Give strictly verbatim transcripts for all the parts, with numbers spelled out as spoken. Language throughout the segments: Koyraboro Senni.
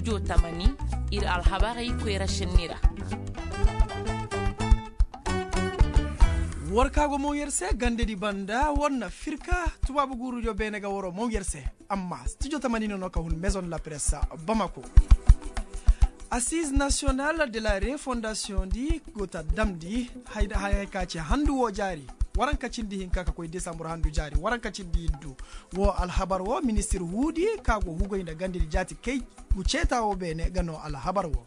Studio tamani, ir alhabarey koyra šenni ra. War ka go moŋ yer se gandedi banda war na firka tubaabu guurudiyo beene ga waroo moŋ yer se. Amma studio tamani no no ka hun maison de la presse bamako. Assize nationale de la refondation di go ta damndi, hay ka ci handu woo jaari, waranka cindi hinka ka koy desambur handu jaari waranka cindi iddu. Woo alhabar woo ministir huudi ka go hugay nda gandedi jaati kay gu ceeta woo beene ga noo alhabar woo.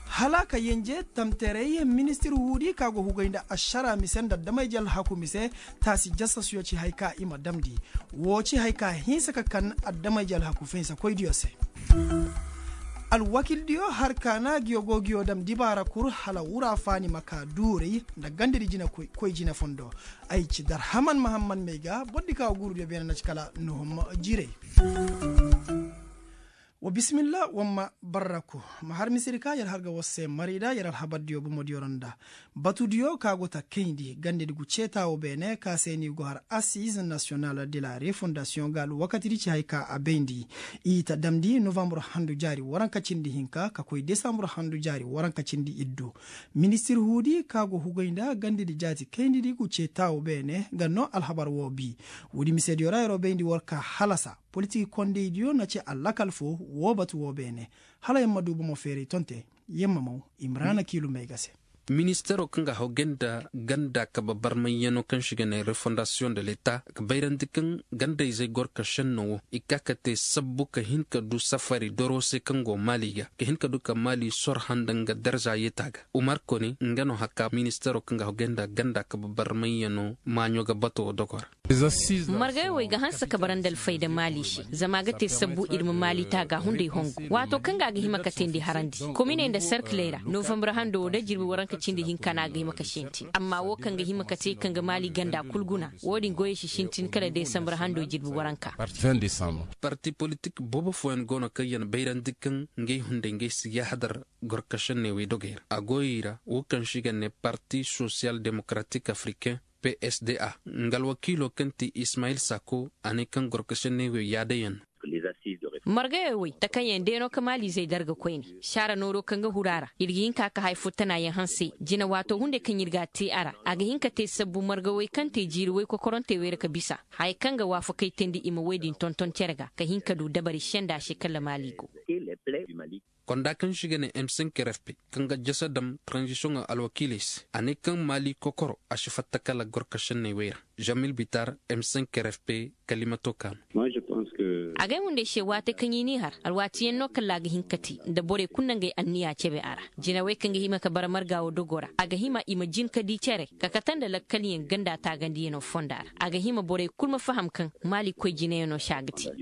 Hala ka yenje tamteray ministir huudi ka go hugay nda ašara mise nda damay jalhaku mise, taasi jasasuyo ci hay ka i ma damndi. Woo ci hay ka hinsa ka kan adamay jalhaku finsakoydiyo se. Alwakildiyo har kaana ngiyo go ngiyo dam dibaara kul hala wura faani ma ka duuray nda gandedi jina koy jina fondo. Ay ci darhaman mahamman may ga bordi ka guurudiyo beene na ci kala nuhum jiray. Wa bisimilla wamma barraku. Ma har misiri ka yer har ga war se marida yer alhabardiyo bomodiyo ra nda batudiyo ka go ta kayndi gandedi gu ceeta woo beene ka se ni go har assize nationale de la refondation ga alwakatidi ci hay ka a bayndi. I ta damndi novambur handu jaari waranka cindi hinka ka koy desambur handu jaari waranka cindi iddu. Ministir huudi ka go hugay nda gandedi jaati kayndidi gu ceeta woo beene ga noo alhabar woo bii. Woodi misediyo ra yeroo bayndi war ka halasa politik kondeydiyo na ci allakal foo woo batu woo beene. Hala yer ma duu bomo feeray tonte yer ma maw imraana kiilumey ga se. Ministeeroo kaŋ ga haw gay nda ganda kabe barmayyanoo kaŋ se i ga nee refondasiyoŋ de leta ga bayrandi kaŋ ganda-izey gorka šennoo woo i kaa ka tee sabbu ka hin ka duu safari doroo se kaŋ go maali ga ka hin ka duu ka maali sor handa nga darza yeetaa ga. Umar kone nga no haka ministeeroo kaŋ ga haw gay nda ganda kabe barmayyanoo maaɲo ga bato woo dogoo ra. Margayoo wey ga hanse ka bara nda alfayda maali se zama a ga te sabbu ir ma maali taaga hunday hongu waatoo kaŋ ga a ga hima ka teendi harandi kominey nda serkiley ra novambur handoo woo da jirbi waranka cindi hinka no a ga hima ka sintin amma woo kaŋ ga hima ka te kaŋ ga maali ganda kul guna woo din goyey si sintin kala desambur handoo jirbi waranka. Parti politik boobo fooyaŋ go no kaŋ ya na bayrandi kaŋ ngey hunday ngey si yaahadar gorka šenney wey dogey ra a goyey ra woo kaŋ se i ga nee parti sosiyal demokaratik afriken p s d a nga alwakiiloo kaŋ ti ismayil sako a ne kaŋ gorka šenney wey yaadayaŋ no. Margayoo wey takanyaŋ deenoo ka maaliizey darga koyne saara nooroo kaŋ ga huru a ra ir ga hin ka ka haya fo tanaayaŋ hanse jina waatoo hunday kaŋ ir ga a tee a ra a ga hin ka tee sabbu margawey kaŋ tee jiiri woy kokorantey wey ra ka bisa haya kaŋ ga waafakey teendi i ma woy din tonton cere ga ka hin ka duu dabari senda se kala maali go. Konda kaŋ se i ga ne m cinq r f p kaŋ ga jasa dam taranzisiyoŋo alwakiiley se a ne kaŋ maali kokoro a si fatta kala gorka šenney wey ra. Zamil bitar m cinq r f p kalimatoo kaa no. Agay hunday se waati kaŋ i n'i har alwaatiyaŋ no kala a ga hin ka te nda borey kul na ngey anniya cebe a ra jinawey kaŋ ga hima ka bara marga woo dogoo ra a ga hima i ma jin ka dii cere ka kate nda lakkalyaŋ ganda taagandiyanoo fonda ra a ga hima borey kul ma faham kaŋ maali koy jinayaŋoo se a ga te.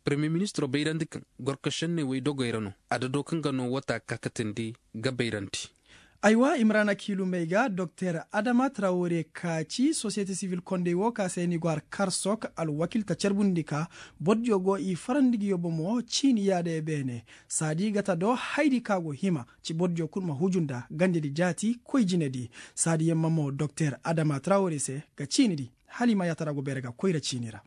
Parmiye ministiroo bayrandi kaŋ gorka šenney wey dogey ra no adadoo kaŋ ga noo wata kaakatandi ga bayrandi. Aywa imrana kiilumey ga doktor adama trawore ka ci sosiyete sivil kondey woo ka se ni go har karsok alwakil ta carbundi ka bordiyo go i farandi ngiyo bomo ciini yaadaya beene saadi ga ta do haydi ka go hima ci bordiyo kul ma huju nda gandedi jaati koy jinedi. Saadi yamma mo doktor adama trawore se ga ciinidi hala i ma yaatara go beere ga koyra ciini ra.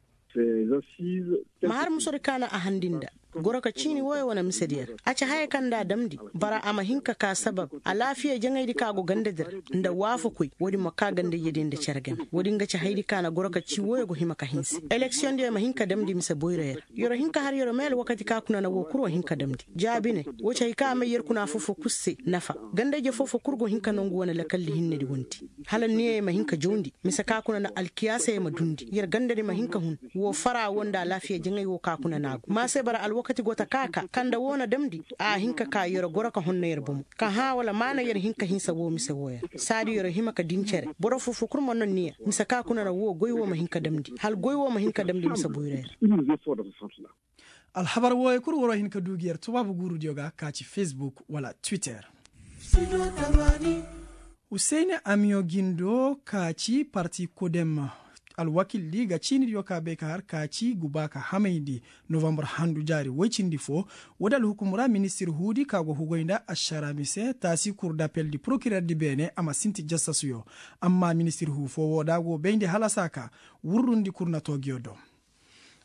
Ma har musodi ka na a handi nda goro ka ciini wooyo wane misedi yer a ci haya kaŋ nda a damndi bara a ma hin ka ka sabab alaafiya jaŋaydi ka go gandadi ra nda waafakoy woodin ma ka gandayya din nda cere game woodin ga ci haydi ka na goro ka cii wooyo go hima ka hinse eleksiyoŋdiyo ma hin ka damndi mise boyro yer. Yer hin ka har yer may alwakati ka kuna na woo kul wa hin ka damndi jaabine woo ci hay ka a may yer kuna foo-foo kul se nafa gandayya foo-foo kul go hin ka nongu wane lakalli hinnedi wonti hala niyeyo ma hin ka jawndi mise ka kuna na alkiyaasayoo ma duundi yer gandadi ma hin ka hun woo fara woo nda alaafiya jaŋay woo ka kuna na a go ma se bara alwakati go ta ka ka kaŋ nda woo na damndi a hin ka ka yer goro ka honna yer bomo ka hã wala maana yer hin ka hinsa woo mise wooyo ra saadi yer hima ka din cere boro foo-foo kul ma noo niya mise ka kuna na woo goy woo ma hin ka damndi hala goy woo ma hin ka damndi mise boyro yer. Alhabar wooyo kul waroo hin ka duu gi yer tubaabu guurudiyo ga ka ci fesbuk wala twitter. Husayni amiyo gindo ka ci parti kodem alwakildi ga ciinidiyo ka bay ka har ka ci guba ka hamayndi novambur handu jaari woy cindi foo. Woodi alhukum ra ministir huudi ka go hugoy nda ašara mise taasi kur dapeldi prokirerdi beene a ma sinti jasasuyo. Amma ministir huu foo woo da go bayndi halasa ka wurrundi kur na too ngiyo do.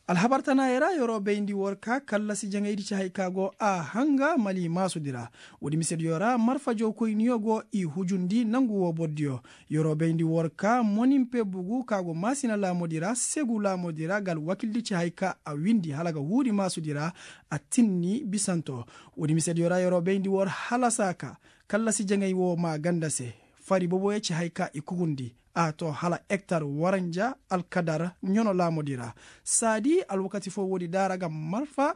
Alhabar tanaayey ra yeroo bayndi war ka kallasi jaŋaydi ci hay ka go a hanga mali maasudi ra. Woodi misediyo ra marfa jawkoyniyo go i hujundi nangu woo bordiyo. Yeroo bayndi war ka moninpe bugu ka go maasina laamudi ra segu laamudi ra ga alwakildi ci hay ka a windi hala ga huudi maasudi ra. A tinni bisanto. Woodi misediyo ra yeroo bayndi war halasa ka kallasi jaŋay woo maa ganda se. Fari boboyo ci hay ka i kugundi a to hala ektar waranja alkadar ɲono laamudi ra. Saadi alwakati foo woodi daara ga marfa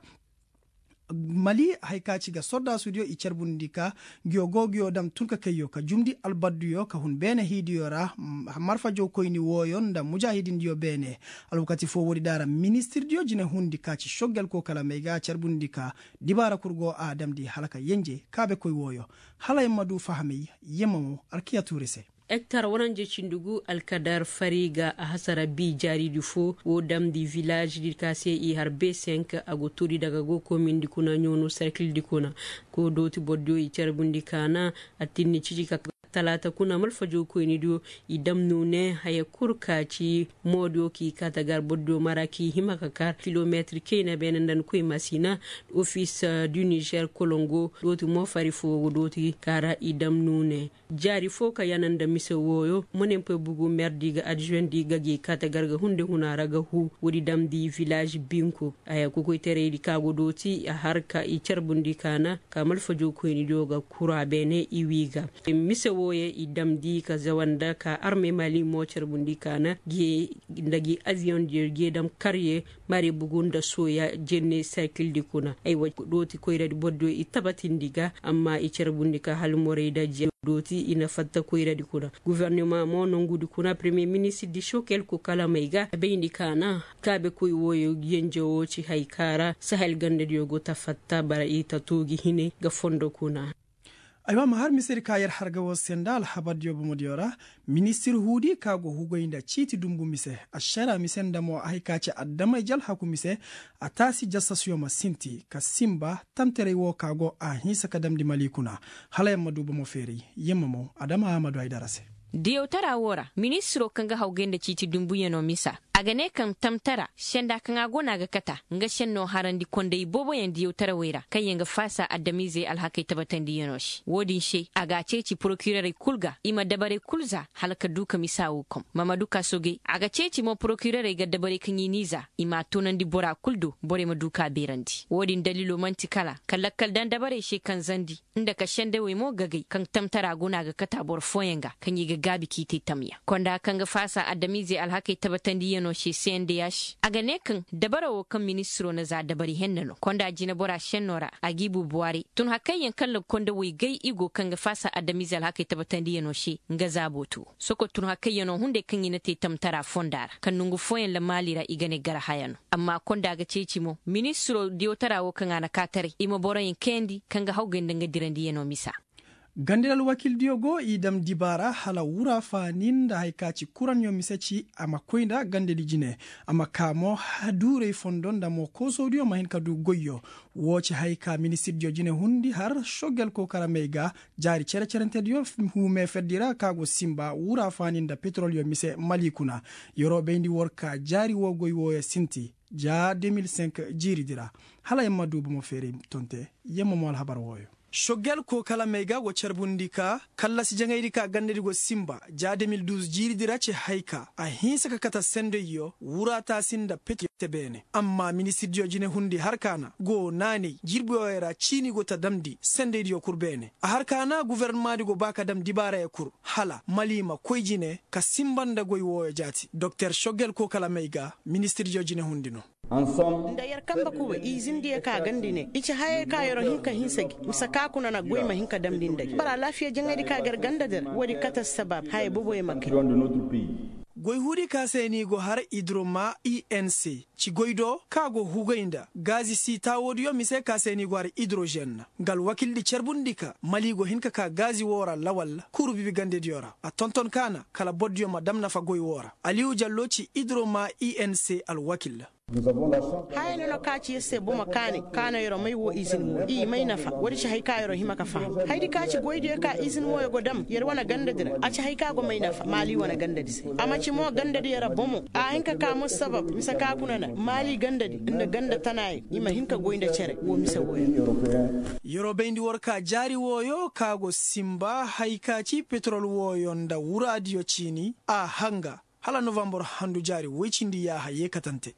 mali hay ka ci ga sordaasudiyo i carbundi ka. Ngiyo go ngiyo dam tun ka kayyo ka jumndi albadduyo ka hun beene hiidiyo ra. Marfa jawkoyni wooyo nda mujaahidindiyo beene. Alwakati foo woodi daara ministirdiyo jinehundi ka ci soggel koo kala may ga carbundi ka. Dibaara kul go a damndi hala ka yenje kaabekoy wooyo. Hala yer ma du fahamay yer ma mo alkiya tuuri se. Ektar waranja cindi gu alkadar fari ga a hasara bi jaaridi foo woo damndi vilaazidi ka se i har be senk a go tuuri daga go koomindi kuna ɲoonu sarkildi kuna. Koo dooti bordiyo i carbundi kaana. A tinni ciji ka talaata kuna malfa jawkoynidiyo i dam nuune haya kul ka ci moodiyo k'i kaata gar bordiyo mara k'i hima ka kar kilometir kayna beene nda ni koy masina. Ofis du nizer kolongo dooti mo fari foo go dooti ka ra i dam nuune. Jaari foo ka yana nda mise wooyo monenpe bugu merdi ga adjuwendi ga gi kaate gar ga hunde huna ra ga huu woodi damndi vilaaž binko. Haya kokoyteraydi ka go dooti a har ka i carbundi kaana ka malfa jawkoynidiyo ga kura beene i wii ga. Mise wooyo i damndi ka zawanda ka arme mali mo carbundi kaana gi nda gi aviyondiyo gi dam karye. Mari bugu nda sooya jenne sarkildi kuna aywa dooti koyradi bordiyo i tabatindi ga amma i carbundi ka halmorey da jenne dooti i na fatta koyradi kuna. Guvernema mo nongudi kuna premiye ministirdi sokel ko kalamey ga bayndi kaana kaabekoy wooyo yenje woo ci hay ka ra sahel gandadiyo go ta fatta bara i ta too gi hine ga fondo kuna. Aywa ma har misedi ka yer har ga woo se nda alhabardiyo bomodiyo ra. Ministir huudi ka go hugay nda ciiti dumbu mise ašara mise nda mo a hay ka ci adamey jalhaku mise. A taasi jasasyo ma sinti ka sinba tamtaray woo ka go a hinsa ka damndi mali kuna. Hala yer ma du bomo feeray yer ma mo adama a ma du ay dara se. Diyawtara woo ra ministiro kaŋ ga hawgay nda ciiti dumbuyanoo misa a ga ne kaŋ tamtara senda kaŋ a go no a ga kata nga sennoo harandi konday booboyaŋ diyawtarawey ra kaŋyaŋ ga faasa adamiizey alhakey tabatandiyanoo se woodin se a ga a ceeci porokirerey kul ga i ma dabarey kul za hala ka du ka misa woo kom mamadu kaasogey a ga ceeci mo porokirerey ga dabarey kaŋ i n'i za i m'a toonandi bora kul do borey ma du k'a beerandi woodin daliiloo man'ti kala ka lakkal daŋ dabarey se kaŋ zandi nda ka sendewey mo gagay kaŋ tamtara go no a ga kata boro fooyaŋ ga kaŋ i ga gaabi k'i te tamyaŋ konda kaŋ ga faasa adamiizey alhakey tabatandiyanoo se se nda yaasi a ga ne kaŋ dabara woo kaŋ ministiroo na za dabari henna no konda jineboraa sennoo ra a g'i buubuwaaray tun hakayyaŋ kaŋ ra kondawey gay i go kaŋ ga faasa adamiizey alhakey tabatandiyanoo se nga zaaboo to soko tun hakayyanoo hunday kaŋ i na te tamtaraa fondaa ra kaŋ nongu fooyaŋ ra maali ra i ga ne gar haya no amma konda ga ceeci mo ministiroo diyawtaraa woo kaŋ a na kaataray i ma boroyaŋ kayandi kaŋ ga hawgay nda nga dirandiyanoo misa. Gandadi alwakiildiyo go i dam dibaara hala wura faani nda haya ka ci kuranyo mise ci a ma koy nda gandadi jine a ma kaa mo duuray fondo nda mo koosodiyo ma hin ka du goyyo. Woo ci haya ka ministirdiyo jine hundi har sogel kookaramey ga jaari cere-cerentediyo huu meeferdi ra ka go sinba wura faani nda petorolyo mise mali kuna. Yeroo bayndi war ka jaari woo goy wooyo sinti ja deux mille cinq jiiridi ra. Hala yer ma du bomo feeray tonte yer ma mo alhabar wooyo. Sogel kookalamey ga go carbundi ka kallasi jaŋaydi ka gandadi go sinba ja deux mille douze jiiridi ra ci hay ka a hinsa ka kate sendayyo wuraataasi nda peti te beene amma ministirdiyo jinehundi har ka na go naanay jirbiyo ra ciini go ta damndi sendaydiyo kul beene a har ka na gufornomadi go ba ka dam dibaarayo kul hala mali ma koy jine ka sinba nda goy wooyo jaati doktor sogel kookalamey ga ministirdiyo jinehundi no. Nda yer kambe kuba i zindiyo ka gandi ne i ci hayey ka yeroo hin ka hinsa gi mise ka kuna na goy ma hin ka damndi nda gi bara alaafiya jaŋaydi ka gar ganda der woodi kate assabab haya boboyo ma kay. Goy huudi ka se ni go har idroma inc ci goy do ka go hugay nda gaazi siitaawoodiyo mise ka se ni go har idrožen nga alwakiildi carbundi ka mali go hin ka ka gaazi woo ra lawal kuuru bibi gandediyo ra a tonton ka na kala bordiyo ma dam nafa goy woo ra aliyu jallo ci idroma inc alwakiil. Haya no na ka ci yer se bomo kaanay ka no yer may woo izin woo i may nafa woodi ci hay ka yer hima ka faham haydi ka ci goydiyo ka izin wooyo go dam yer wane gandadi ra a ci hay ka go may nafa maali wane gandadi se a ma ci mo gandadiyo ra bomo a hin ka ka mo sabab mise ka guna na maali gandadi nda ganda tanaayo i ma hin ka goy nda cere woo mise wooyo. Yeroo bayndi war ka jaari wooyo ka go sinba hay ka ci petrol wooyo nda wuraadiyo ciini a hanga hala novambor handu jaari woy cindi yaaha yee katante.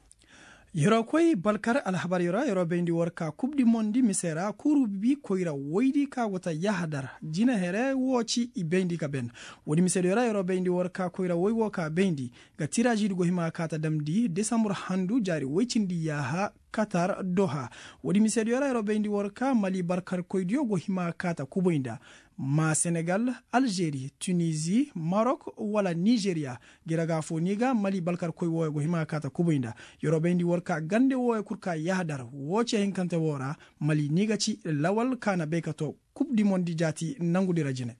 Yeroo koy balkar alhabaryo ra yeroo bayndi war ka kub di mondi mise ra kuuru bi koyra woydi ka go ta yahadar jina here woo ci i bayndi ka ben. Woodi misediyo ra yeroo bayndi war ka koyra woy woo ka bayndi ga tiraazidi go hima ka ta damndi desambur handu jaari woy cindi yaaha katar doha. Woodi misediyo ra yeroo bayndi war ka mali balkarkoydiyo go hima ka ta kuboy nda ma senegal, alžeri, tunizi, marok, wala nizeriya. Gi ra ga foo ni ga mali balkarkoy wooyo go hima ka ta kuboy nda yeroo bayndi war ka gande wooyo kul ka yahadar woo ce hinkante woo ra. Mali ni ga ci lawal ka na bay ka too kub di mondi jaati nangudi ra jine.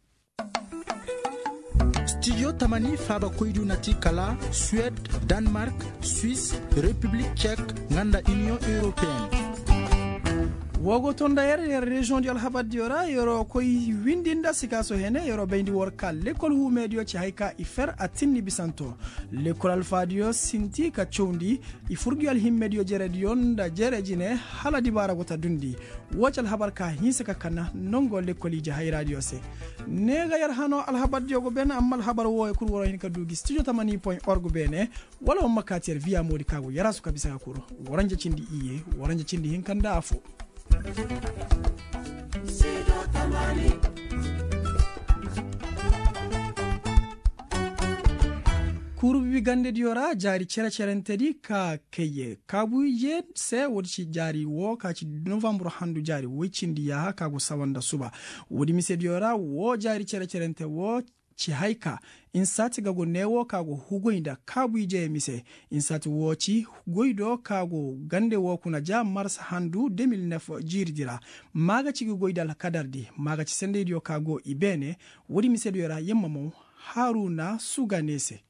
Stijo tamani faabakoydiyo na ti kala suwed, danmark, swis, repiblik cek, nga nda iniyoŋ europeen. Woo go too nda yer yer reziyoŋdiyo alhabardiyo ra yeroo koy windi nda sikaaso hene yeroo bayndi war ka lekkol huumeediyo ci hay ka i fer a tinni bisanto. Lekkol alfaadiyo sinti ka cawndi i fur gi alhimmediyo jerediyo nda jere jine hala dibaara go ta dundi. Woo ci alhabar ka hinsa ka kana nongo lekkol ije hayraadiyo se. Ne ga yer hanoo alhabardiyo go ben amma alhabar wooyo kul waroo hin ka duu gi stijo tamani point org beene. Wala war ma kaati yer viya moodi ka go yaraasu ka bisa ka kul. Waranja cindi iyye waranja cindi hinka nda afoo. Kuuru bibi gandediyo ra jaari cere-cerentedi ka kayye kaabu ije se woodi ci jaari woo ka ci novambur handu jaari woy cindi yaaha ka go sawa nda suba. Woodi misediyo ra woo jaari cere-cerente woo ci hay ka insaati ga go neewoo ka go hugoy nda kaabu ije mise. Insaati woo ci goydoo ka go gande woo kuna ja mars handu de mil nef jiiridi ra. Maa ga ci gi goydi alkadardi maa ga ci sendaydiyo ka go i beene. Woodi misediyo ra yer ma mow haaruna suga ne se.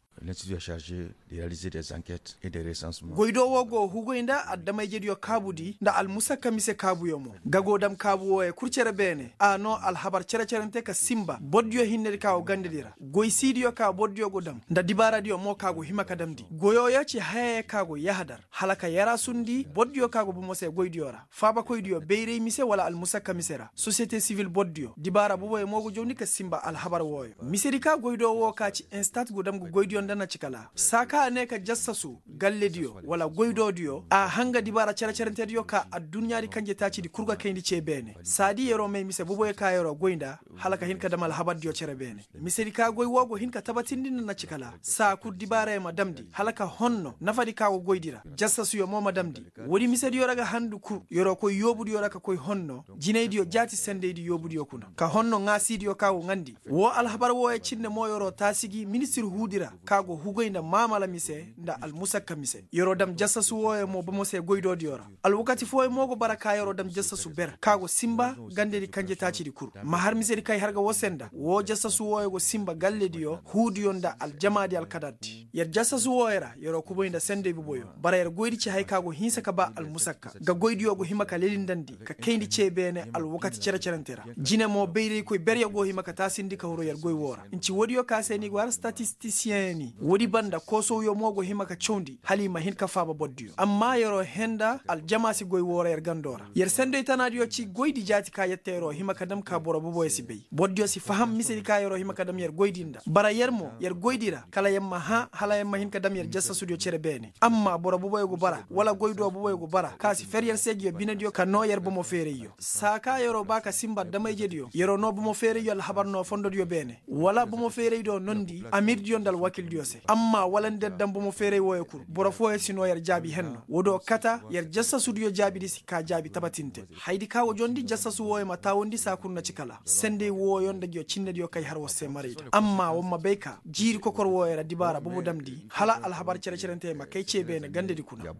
Goydoo woo go hugoy nda adama-ijediyo kaabudi nda almusakka mise kaabuyo mo ga go dam kaabu wooyo kul cere beene a noo alhabar cere-cerente ka sinba bordiyo hinnedi ka go gandedi ra goysiidiyo ka bordiyo go dam nda dibaaradiyo mo ka go hima ka damndi goyooyo ci hayaya ka go yahadar hala ka yaraasundi bordiyo ka go bomo se goydiyo ra. Faabakoydiyo bayray mise wala almusakka mise ra sosiyete sivil bordiyo dibaara boboyo mo go jawndi ka sinba alhabar wooyo misedi ka goydoo woo ka ci instat go dam ga goydiyo nda na ci kala saa ka a ne ka jassasu gallediyo wala goydoodiyo a hanga dibaara cere-cerentediyo ka adduɲɲaadi kanje taacidi kul ga kayndi cee beene saadi yer'o may mise boboyo ka yer'o goy nda hala ka hin ka dam alhabardiyo cere beene. Misedi ka goy woo go hin ka tabatindi nda na ci kala saa kul dibaarayo ma damndi hala ka honno nafadi ka go goydi ra jassasuyo mo ma damndi. Woodi misediyo ra ga handu kul yer'o koy yoobudiyo ra ka koy honno jinaydiyo jaati sendaydi yoobudiyo kuna ka honno ŋaasiidiyo ka go ŋaandi. Woo alhabar wooyo cindi mo yer'o taasi gi ministir huudi ra ka go hugoy nda maamala mise nda almusakka mise yer'o dam jassasu wooyo mo bomo se goydoodiyo ra. Alwakati fooyo mo go bara ka yer'o dam jassasu ber ka go sinba gandedi kanje taacidi kul ma har misedi kay har ga woo se nda woo jassasu wooyo go sinba gallediyo huudiyo nda aljamaadi alkadardi yer jassasu wooyo ra yer'o kuboy nda senday boboyo bara yer goydi ci haya ka go hinsa ka ba almusakka ga goydiyo go hima ka lelindandi ka kayndi cee beene alwakati cere-cerente ra. Jine mo bayraykoy beryo go hima ka taasindi ka huru yer goy woo ra nci woodiyo ka se ni go har statistisiyeŋ ni woodi banda koosowyo mo go hima ka cawndi hala i ma hin ka faaba bordiyo amma yer'o hee nda aljama si goy woo ra yer gandoo ra yer senday tanaadiyo ci goydi jaati ka yette yer'o hima ka dam ka boro boboyo si bay bordiyo si faham misedi ka yer'o hima ka dam yer goydi nda bara yer mo yer goydi ra kala yer ma hãa hala yer ma hin ka dam yer jasasudiyo cere beene amma boro boboyo go bara wala goydoo boboyo go bara ka si fer yer se ngiyo binediyo ka noo yer bomo feerayyo saa ka yer'o ba ka sinba adama-ijediyo yer'o noo bomo feerayyo alhabar noo fondodiyo beene wala bomo feeraydiyo nondi amirdiyo nda alwakildiyo se amma wala nda yer dam bomo feeray wooyo kul boro fooyo si noo yer jaabi henno woodiyo kata yer jasasudiyo jaabidi si kaa jaabi tabatinte. Hayadi ka wo jondi jasasu wooyo ma taawundi saa kul na ci kala senday wooyo nda ngiyo cinnediyo kay har war se marayda amma war ma bay ka jiiri kokor wooyo ra dibaara bobo damndi hala alhabar cere-cerentey ma kay cee beene gandedi kuna.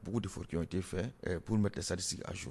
Pour mettre les statistiques à jour.